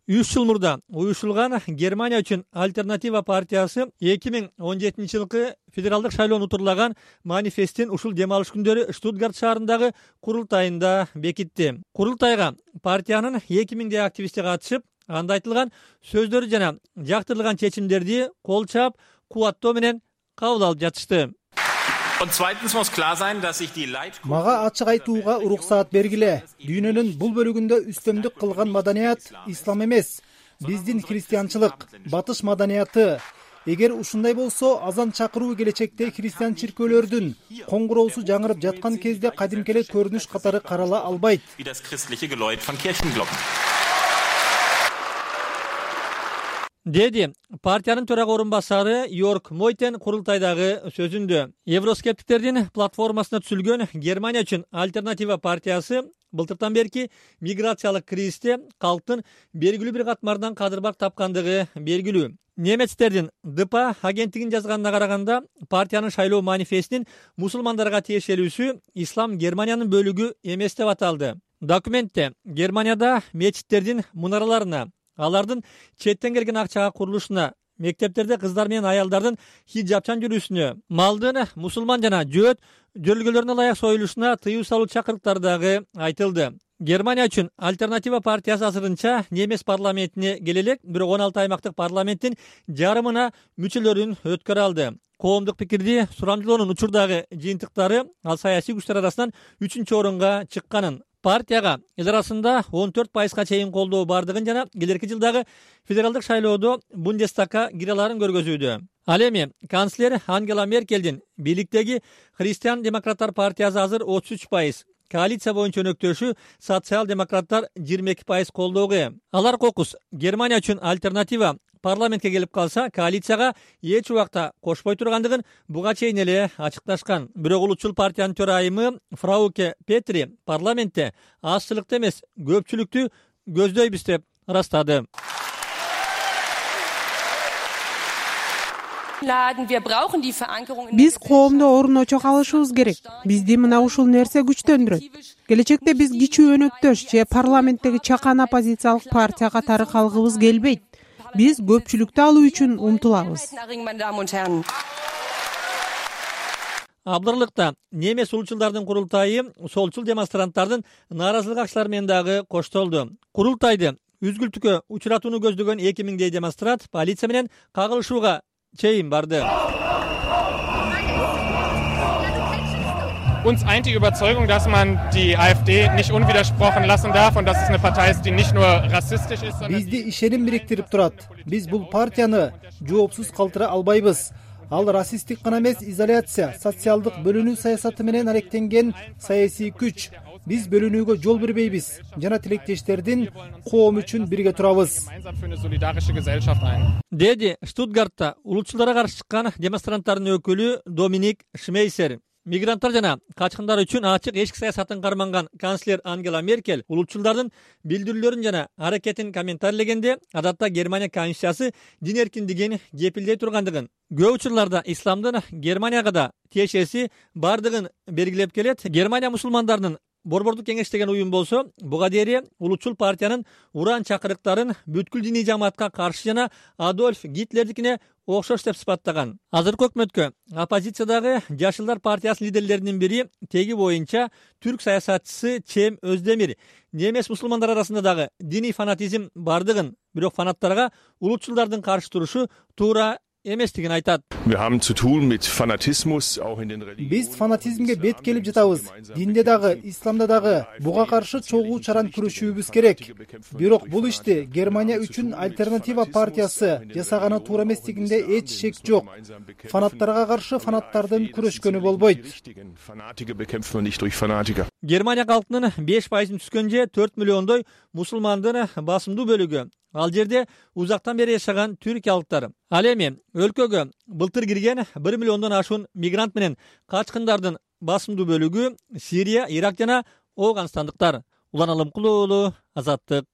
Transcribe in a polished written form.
3 жыл мурда уюшулган Германия үчүн альтернатива партиясы 2017 жылкы федералдык шайлоону утурлаган манифестин ушул дем алыш күндөрү Штутгарт шаарындагы курултайында бекитти. Курултайга партиянын 2000 активисти катышып, анда айтылган сөздөрү жана жактырылган чечимдерди кол чаап, кубаттоо менен кабыл алып жатышты. Мага ачык айтууга уруксаат бергиле. Дүйнөнүн бул бөлүгүндө үстөмдүк кылган маданият ислам эмес, биздин христианчылык, батыш маданияты. Эгер ушундай болсо, азан чакыруу келечекте христиан чиркөөлөрдүн коңгуроосу жаңырып жаткан кезде кадимки эле көрүнүш катары карала албайт. Деди партиянын төрага орун басары Йорк Мойтен курултайдагы сөзүндө. Евроскептиктердин платформасына түзүлгөн Германия үчүн альтернатива партиясы былтыртан берки миграциялык кризисте калктын белгилүү бир катмардан кадырбак тапкандыгы белгилүү. Немецтердин ДПА агенттигин жазганына караганда, партиянын шайлоо манифестин мусулмандарга тиешелүүсү ислам Германиянын бөлүгү эмес деп аталды. Документте Германияда мечиттердин мунараларына, алардын четтен келген акчага курулушуна, мектептерде кыздар менен аялдардын хиджабчан жүрүүсүнө, малдын мусулман жана жөөт жөрөлгөлөрүнө ылайык союлушуна тыюу салуу чакырыктары дагы айтылды. Германия үчүн альтернатива партиясы азырынча немес парламентине келе элек, бирок 16 аймактык парламенттин жарымына мүчөлөрүн өткөрө алды. Коомдук пикирди сурамжылоонун учурдагы жыйынтыктары ал саясий күчтөр арасынан 3-орунга чыкканын, партияга эл арасында 14% чейин колдоо бардыгын жана келерки жылдагы федералдык шайлоодо Бундестагга кире аларын көргөзүүдө. Ал эми канцлер Ангела Меркелдин бийликтеги Христиан демократтар партиясы азыр 33%, коалиция боюнча өнөктөшү социал-демократтар 22% колдоого ээ. Алар кокус Германия үчүн альтернатива парламентке келип калса, коалицияга эч убакта кошпой тургандыгын буга чейин эле ачыкташкан. Бирок улутчул партиянын төрайымы Фрауке Петри парламентте азчылыкты эмес, көпчүлүктү көздөйбүз деп ырастады. Биз коомдо орун очок алышыбыз керек. Бизди мына ушул нерсе күчтөндүрөт. Келечекте биз кичүү өнөктөш же парламенттеги чакан оппозициялык партия катары калгыбыз келбейт. Биз көпчүлүктү алуу үчүн умтулабыз. Абдырлыкта немес улутчулдардын курултайы солчул демонстранттардын нааразылык акчалары менен дагы коштолду. Курултайды үзгүлтүккө учуратууну көздөгөн 2000 демонстрант полиция менен кагылышууга чейин барды. Uns eint die Überzeugung, dass man die AfD nicht unwidersprochen lassen darf und dass es eine Partei ist, die nicht nur rassistisch ist, sondern Бизди ишеним бириктирип турат. Биз бул партияны жоопсуз калтыра албайбыз. Ал расисттик гана эмес, изоляция, социалдык бөлүнүү саясаты менен алектенген саясий күч. Биз бөлүнүүгө жол бербейбиз жана тилектештердин коом үчүн бирге турабыз. Деди Штутгартта улутчулдарга каршы чыккан демонстранттардын өкүлү Доминик Шмейсер. Мигранттар жана качкындар үчүн ачык эшик саясатын карманган канцлер Ангела Меркель улутчулдардын билдирүүлөрүн жана аракетин комментарийлегенде, адатта Германия конституциясы дин эркиндигин кепилдей тургандыгын, көп учурларда исламдын Германияга да тиешеси бардыгын белгилеп келет. Германия мусулмандарынын Борбордук кеңеш деген уюм болсо, буга дейре улутчул партиянын уран чакырыктарын бүткүл диний жамаатка каршы жана Адольф Гитлердикине окшош деп сыпаттаган. Азыркы өкмөткө оппозициядагы Жашылдар партиясынын лидерлеринин бири теги боюнча түрк саясатчысы Чем Өздемир немес мусулмандар арасында дагы диний фанатизм бардыгын, бирок фанаттарга улутчулдардын каршы турушу туура эместигин айтат. Биз фанатизмге бет келип жатабыз. Динде дагы, исламда дагы буга каршы чогуу чаран күрөшүүбүз керек. Бирок бул ишти Германия үчүн альтернатива партиясы жасаганы туура эместигинде эч шек жок. Фанаттарга каршы фанаттардын күрөшкөнү болбойт. Германия калкынын 5% түскөн же 4 миллиондой мусулмандын басымдуу бөлүгү. Ал жерде узактан бери жашаган түркиялыктар. Ал эми өлкөгө былтыр кирген 1 миллиондон ашуун мигрант менен качкындардын басымдуу бөлүгү Сирия, Ирак жана Ооганстандыктар. Улан Алымкулуу, Азаттык.